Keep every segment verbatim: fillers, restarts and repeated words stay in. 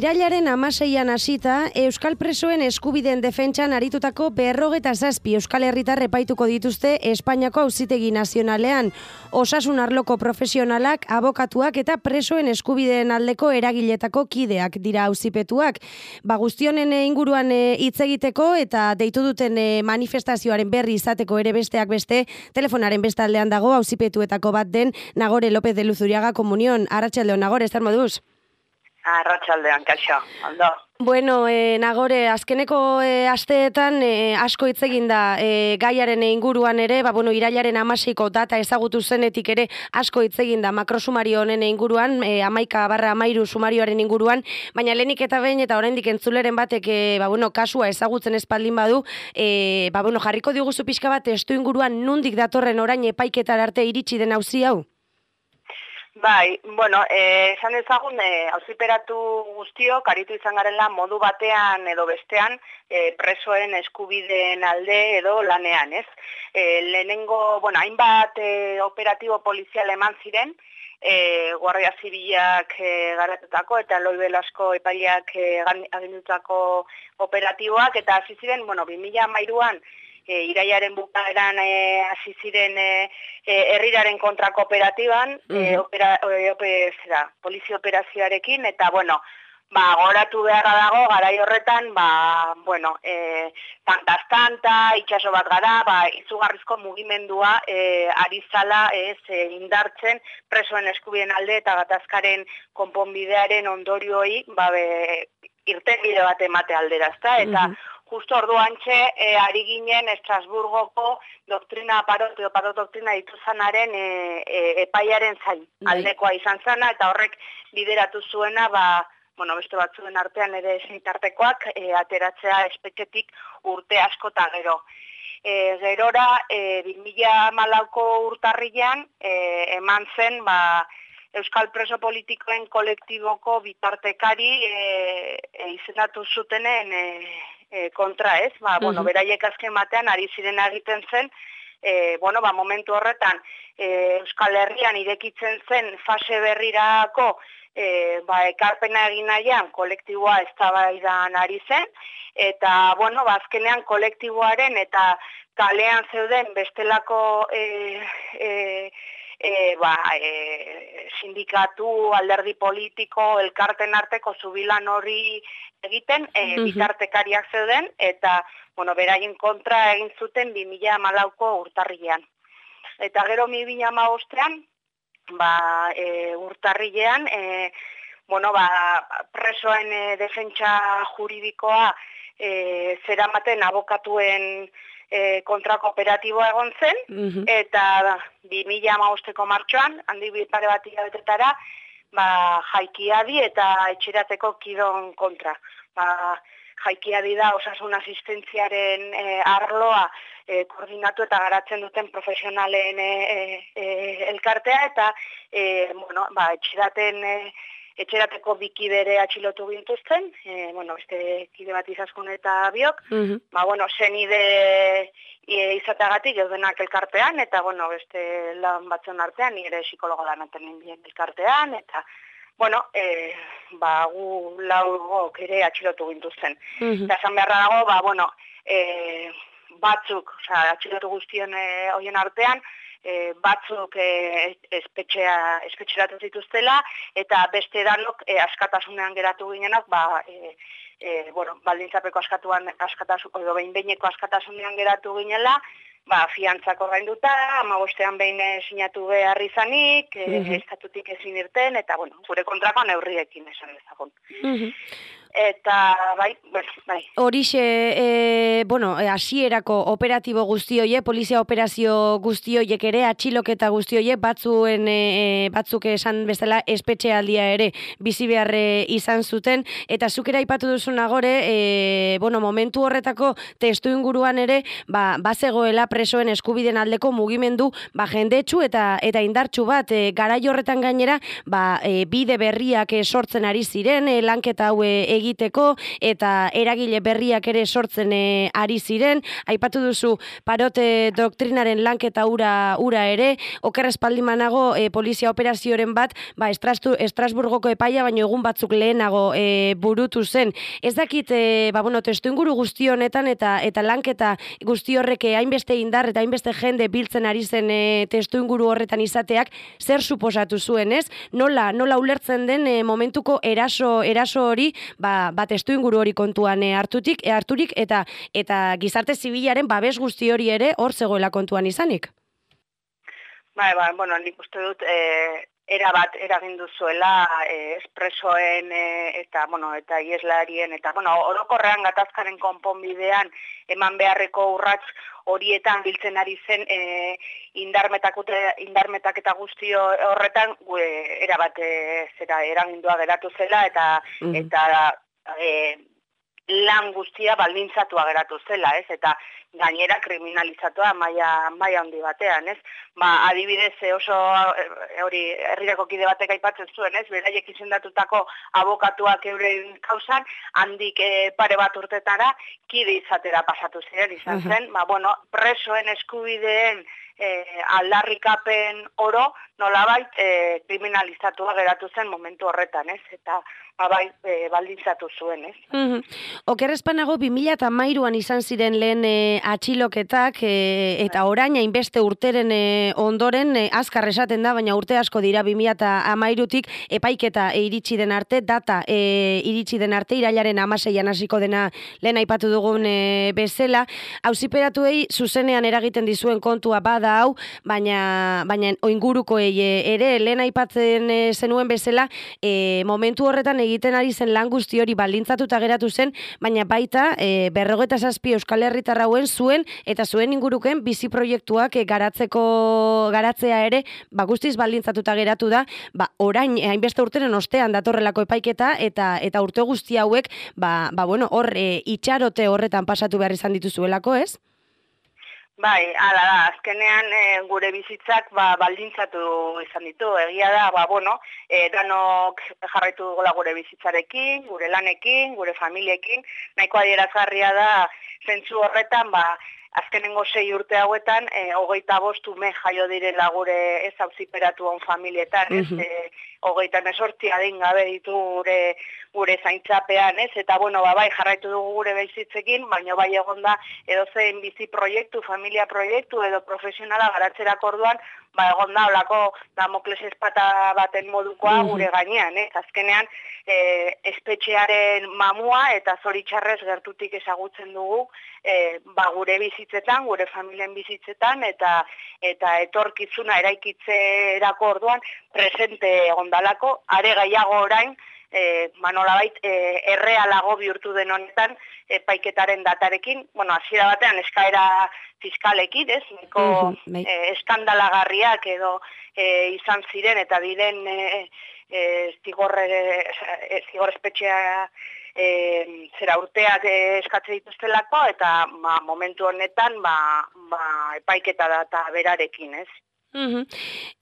irailaren hamaseian hasita, Euskal Presoen eskubideen defentsan aritutako berrogeta zazpi Euskal Herritar epaituko dituzte Espainiako Auzitegi Nazionalean. Osasun arloko profesionalak, abokatuak eta presoen eskubideen aldeko eragiletako kideak dira auzipetuak. Ba, guztionen inguruan hitz egiteko eta deitu duten manifestazioaren berri izateko ere besteak beste, telefonaren bestaldean dago auzipetuetako bat den Nagore López de Luzuriaga Komunion. Arratsaldeon, Nagore, zer moduz? Arratsaldean, kaixo, ondo. Bueno, eh, Nagore, azkeneko eh, asteetan eh, asko hitz egin da eh, gaiaren inguruan ere, ba, bueno, irailaren hamaseiko data ezagutu zenetik ere asko hitz egin da makrosumario honen inguruan, eh, hamaika barra hamairu sumarioaren inguruan, baina lehenik eta behin eta oraindik entzuleren batek eh, ba, bueno, kasua ezagutzen espaldin badu, eh, ba, bueno, jarriko diguzu pixka bat testu inguruan nundik datorren orain epaiketar arte iritsi den auzi hau? Bai, bueno, eh, esan ezagun, eh, auziperatu guztiok, aritu izan garela modu batean edo bestean eh, presoen eskubideen alde edo lanean, ez? Eh, lehenengo, bueno, hainbat eh, operatibo polizial eman ziren, eh, Guardia Zibilak eh, garatutako eta Eloi Velasco epaileak eh, agindutako operatiboak, eta hasi ziren, bueno, bi mila hamairuan, E, irailaren bukaeran hasi e, ziren e, e, herriraren kontrako operatiban, uh -huh. e, opera, e, ope, zera, polizia operazioarekin, eta, bueno, ba, goratu beharra dago, garai horretan, ba, bueno, e, tantaz-tanta, itxaso bat gara, ba, izugarrizko mugimendua e, ari zala ez, e, indartzen presoen eskubideen alde eta gatazkaren konponbidearen ondorioi, ba, be, irtenbide bat emate aldera, ezta, eta, uh -huh. Justo orduantxe, e, ari ginen Estrasburgoko doktrina parot, edo parot doktrina dituzanaren e, e, epaiaren zain aldekoa izan zana, eta horrek bideratu zuena, ba, bueno, beste batzuen artean ere seitartekoak e, ateratzea espetxetik urte asko eta gero. E, gerora, e, bi mila hamalauko urtarrilean, e, eman zen, ba, Euskal Preso Politikoen kolektiboko bitartekari e, e, izendatu zutenen e, e, kontra, ez? Ba, bueno, uh-huh. beraiek azken batean ari ziren egiten zen, e, bueno, ba, momentu horretan e, Euskal Herrian irekitzen zen fase berrirako e, ba, ekarpena egin nahian kolektiboa eztabaidan ari zen, eta, bueno, ba, azkenean kolektiboaren eta kalean zeuden bestelako e, e, E, ba, e, sindikatu, alderdi politiko, elkarten arteko zubilan hori egiten, e, uh-huh. bitartekariak zeuden, eta, bueno, beraien kontra egin zuten bi mila hamalauko urtarrilean. Eta gero bi mila hamabostean, ba, e, urtarrilean, e, bueno, ba, presoen e, defentsa juridikoa e, zeramaten abokatuen E, kontrako operatiboa egon zen, uh-huh. eta bi mila hamabosteko martxoan, handi pare bat hilabetetara, ba, jaikiadi eta etxerateko kidon kontra. Ba, jaikiadi da osasun asistentziaren e, arloa e, koordinatu eta garatzen duten profesionalen e, e, elkartea, eta e, bueno, ba, etxeraten e, etxerateko bikidere atxilotu gintuzten, e, bueno, beste kide bat izaskun eta biok, uh-huh. ba, bueno, zenide e, izateagatik eudenak elkartean, eta, bueno, beste lan batzen artean, nire psikologo lanaten nindien elkartean, eta, bueno, e, ba, gu laugok ere atxilotu gintuzten. Uh-huh. Eta esan beharra dago, ba, bueno, e, batzuk, oza, atxilotu guztien e, hoien artean, E, batzuk e, espetxea, espetxeratu zituztela, eta beste danok e, askatasunean geratu ginenak, ba, e, e, bueno, baldintzapeko askatuan, askatasun, edo behin-behineko askatasunean geratu ginela, ba, fiantzako gainduta, hamabostean behin sinatu behar izanik, e, uh-huh. estatutik ezin irten, eta, bueno, gure kontrako neurriekin esan dezagun. Uh-huh. Eta, bai, bai. Horixe, e, bueno, hasierako operatibo guztioie, polizia operazio guztioiek ere, atxiloketa guztioie, batzuen, e, batzuk esan bezala espetxealdia ere bizi beharre izan zuten, eta zuk ere aipatu duzu Nagore, e, bueno, momentu horretako testu inguruan ere, ba, bazegoela presoen eskubiden aldeko mugimendu, ba, jendetsu eta eta indartsu bat, e, garai horretan gainera, ba, e, bide berriak e, sortzen ari ziren, e, lanketa hau egin egiteko eta eragile berriak ere sortzen e, ari ziren. Aipatu duzu Parote doktrinaren lanketa ura, ura ere, oker espaldimanago e, polizia operazioren bat, ba, Estrastu, Estrasburgoko epaia, baino egun batzuk lehenago e, burutu zen. Ez dakit, e, ba, bueno, testu inguru guzti honetan eta eta lanketa guzti horrek hainbeste indar eta hainbeste jende biltzen ari zen e, testu inguru horretan izateak, zer suposatu zuen, ez? Nola, nola ulertzen den e, momentuko eraso, eraso hori, ba, ba testu inguru hori kontuan e, hartutik, e, harturik eta eta gizarte zibilaren babes guzti hori ere hor zegoela kontuan izanik. Bai, bai, bueno, nik uste dut e, era bat eragin duzuela e, espresoen e, eta, bueno, eta ieslarien eta, bueno, orokorrean gatazkaren konponbidean eman beharreko urrats horietan biltzen ari zen e, indarmetak eta guztio horretan e, era bat e, zera eragindua geratu zela eta mm. eta e, lan guztia baldintzatua geratu zela, ez? Eta gainera kriminalizatua maila maila handi batean, ez? Ba, adibidez oso hori herrirako kide batek aipatzen zuen, ez? Beraiek izendatutako abokatuak euren kausan handik e, pare bat urtetara kide izatera pasatu ziren izan zen. Ba, bueno, presoen eskubideen E, aldarrikapen oro nolabait e, kriminalizatua geratu zen momentu horretan, ez? Eta bai, e, baldintzatu zuen, ez? Mm-hmm. Oker espanago bi mila hamairuan izan ziren lehen e, atxiloketak e, eta orain hainbeste urteren e, ondoren e, azkar esaten da, baina urte asko dira bi mila hamairutik epaiketa e, iritsi den arte, data e, iritsi den arte, irailaren hamaseian hasiko dena lehen aipatu dugun e, bezala. Auziperatuei zuzenean eragiten dizuen kontua bada hau, baina baina oingurukoei ere lehen aipatzen zenuen bezala, e, momentu horretan egiten ari zen lan guzti hori baldintzatuta geratu zen, baina baita e, berrogeita zazpi Euskal Herritar hauen zuen eta zuen inguruken bizi proiektuak e, garatzeko garatzea ere, ba guztiz baldintzatuta geratu da, ba orain hainbeste urteren ostean datorrelako epaiketa eta eta urte guzti hauek, ba ba bueno, hor e, itxarote horretan pasatu behar izan dituzuelako, ez? Bai, ala da, azkenean e, gure bizitzak ba, baldintzatu izan ditu, egia da, ba, bueno, e, danok jarraitu dugu gure bizitzarekin, gure lanekin, gure familiekin, nahiko adierazgarria da, zentzu horretan, ba, azkenengo sei urte hauetan, e, hogeita bost ume jaio direla gure ez auziperatu on familietan, ez, e, hogeita mesortzi adingabe ditu gure gure zaintzapean, ez, eta bueno, ba, bai, jarraitu dugu gure bizitzekin, baina bai egonda edozein bizi proiektu, familia proiektu edo profesionala garatzerako orduan, ba, egonda olako Damokles espata baten modukoa gure gainean, ez, azkenean e, espetxearen mamua eta zoritxarrez gertutik ezagutzen dugu e, ba, gure bizitzetan, gure familien bizitzetan, eta eta etorkizuna eraikitzerako orduan presente egondalako, are gaiago orain, E, manolabait e, errealago bihurtu den honetan epaiketaren datarekin, bueno, hasiera batean eskaera fiskalekin, ez, niko mm-hmm. e, eskandalagarriak edo e, izan ziren eta diren e, e, zigorre, e, zigor espetxea e, zera urteak e, eskatze dituztelako eta ba, momentu honetan ba, ba, epaiketa data berarekin, ez. Uhum.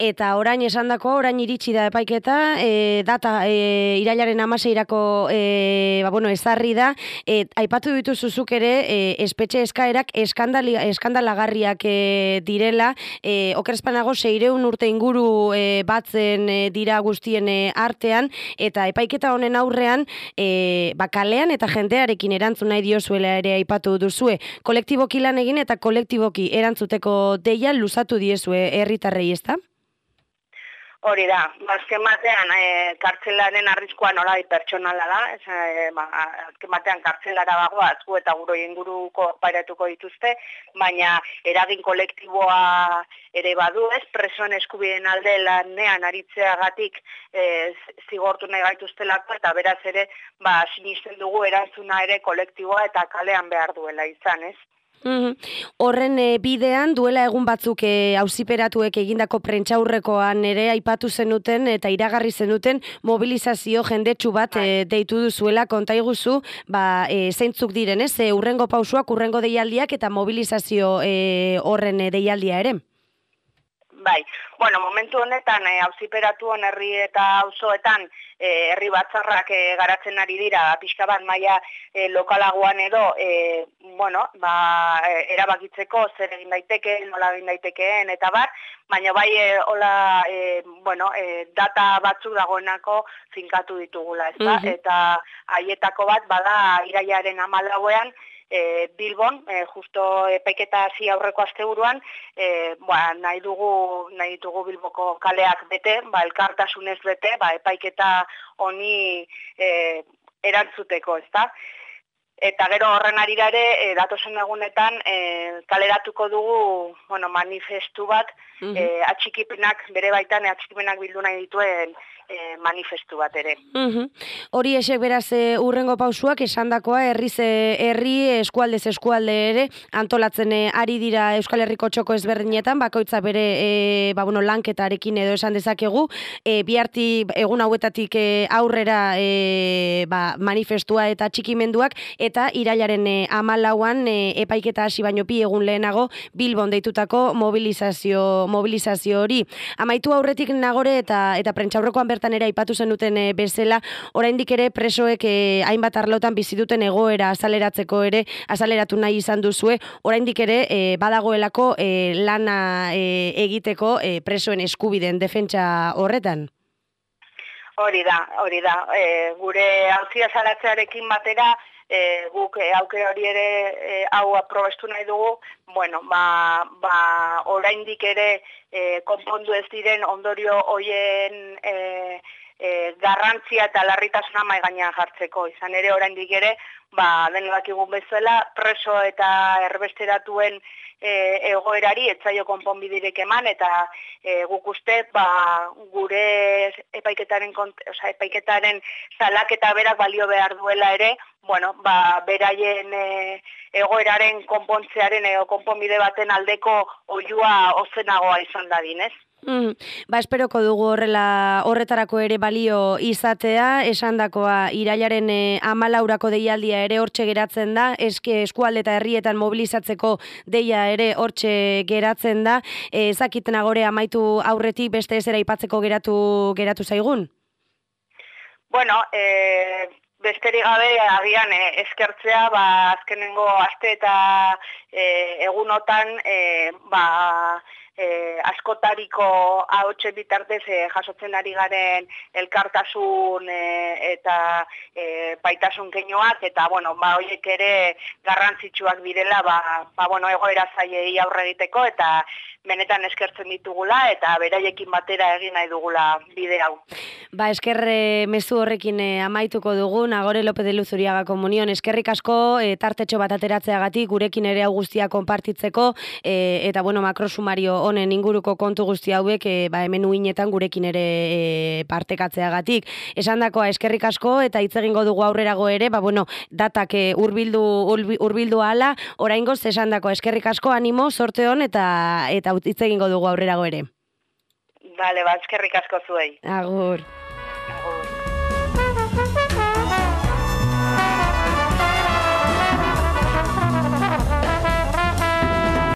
Eta orain esandako, orain iritsi da epaiketa, e, data e, irailaren hamaseirako e, ba, bueno, ezarri da, e, aipatu dituzuzuk ere e, espetxe eskaerak eskandalagarriak e, direla, e, okerespanago seireun urte inguru e, batzen e, dira guztien e, artean, eta epaiketa honen aurrean, e, ba, kalean eta jendearekin erantzun nahi diozuela ere aipatu duzue. Kolektiboki lan egin eta kolektiboki erantzuteko deia luzatu diezue herri tarrei, ezta? Hori da, azken batean e, kartzelaren arriskua nola pertsonala da, e, ba, azken batean kartzelara bagoa, azku eta guro inguruko pairatuko dituzte, baina eragin kolektiboa ere badu, ez, presoen eskubideen alde lanean aritzeagatik e, zigortu nahi gaituztelako, eta beraz ere, ba, sinisten dugu erantzuna ere kolektiboa eta kalean behar duela izan, ez? Mm-hmm. Horren e, bidean duela egun batzuk e, auziperatuek egindako prentsaurrekoan ere aipatu zenuten eta iragarri zenuten mobilizazio jendetsu bat e, deitu duzuela, konta iguzu, ba, e, zeintzuk diren, ez? E, urrengo pausuak, urrengo deialdiak eta mobilizazio e, horren e, deialdia ere? Bai, bueno, momentu honetan e, auziperatuen herri eta auzoetan e, herri batzarrak e, garatzen ari dira, pixka bat maila e, lokalagoan edo, e, bueno, ba, e, erabakitzeko zer egin daitekeen, nola egin daitekeen, eta bar, baina bai, e, hola, e, bueno, e, data batzuk dagoenako finkatu ditugula, ezta? Mhm. Eta haietako bat, bada, irailaren hamalauean, E, Bilbon, e, justo epaiketa hasi aurreko asteburuan, e, ba, nahi dugu nahi ditugu Bilboko kaleak bete, ba, elkartasunez bete, ba, epaiketa honi e, erantzuteko, ezta? Eta gero horren arira ere, e, datozen egunetan, e, kaleratuko dugu, bueno, manifestu bat, Mhm. e, atxikipenak, bere baitan, e, atxikipenak bildu nahi dituen e, manifestu bat ere. Mhm. Hori esek beraz e, urrengo pausuak esandakoa herriz e, herri eskualdez eskualde ere antolatzen e, ari dira Euskal Herriko txoko ezberdinetan, bakoitza bere e, ba, bueno, lanketarekin edo esan dezakegu, e, biharti egun hauetatik e, aurrera e, ba, manifestua eta txikimenduak, eta irailaren e, hamalauan e, epaiketa hasi baino bi egun lehenago Bilbon deitutako mobilizazio mobilizazio hori. Amaitu aurretik Nagore eta eta prentsaurrekoan bertan ere aipatu zenuten e, bezala, oraindik ere presoek e, hainbat arlotan bizi duten egoera azaleratzeko ere azaleratu nahi izan duzue, oraindik ere e, badagoelako e, lana e, egiteko e, presoen eskubideen defentsa horretan. Hori da, hori da. E, gure auzia salatzearekin batera, e, guk e, aukera hori ere e, hau aprobestu nahi dugu, bueno, ba, ba oraindik ere e, konpondu ez diren ondorio hoien e, e, garrantzia eta larritasuna mahai gainean jartzeko. Izan ere oraindik ere, ba denok dakigun bezala, preso eta erbesteratuen e, egoerari etzaio konponbiderik eman, eta e, guk uste ba, gure epaiketaren, osea, epaiketaren salaketa berak balio behar duela ere, bueno, ba, beraien e, egoeraren konpontzearen edo konponbide baten aldeko oihua ozenagoa izan dadin, ez? Mm, ba, esperoko dugu horrela horretarako ere balio izatea, esandakoa irailaren e, amalaurako deialdia ere hortxe geratzen da, eske eskualde eta herrietan mobilizatzeko deia ere hortxe geratzen da, e, ezakit Nagore amaitu aurretik beste ezera aipatzeko geratu geratu zaigun? Bueno, eh... besterik gabe agian eh, eskertzea, ba, azkenengo aste eta eh, egunotan eh, ba, eh, askotariko ahotsen bitartez eh, jasotzen ari garen elkartasun eh, eta eh, baitasun keinoak, eta bueno, ba, horiek ere garrantzitsuak direla, ba, ba, bueno, egoera zailei aurre egiteko, eta benetan eskertzen ditugula, eta beraiekin batera egin nahi dugula bide hau. Ba, eskerre mezu horrekin e, amaituko dugu, Nagore López de Luzuriaga Komunion, eskerrik asko e, tartetxo bat ateratzeagatik, gurekin ere hau guztia konpartitzeko, e, eta bueno, makrosumario honen inguruko kontu guzti hauek, e, ba, hemen uinetan gurekin ere e, partekatzeagatik. Esandakoa eskerrik asko, eta hitz egingo dugu aurrerago ere, ba, bueno, datak e, urbildu, urbildu ala, oraingoz esandakoa eskerrik asko, animo, sorte hon, eta eta hitz egingo dugu aurrerago ere. Bale, ba, eskerrik asko zuei. Agur.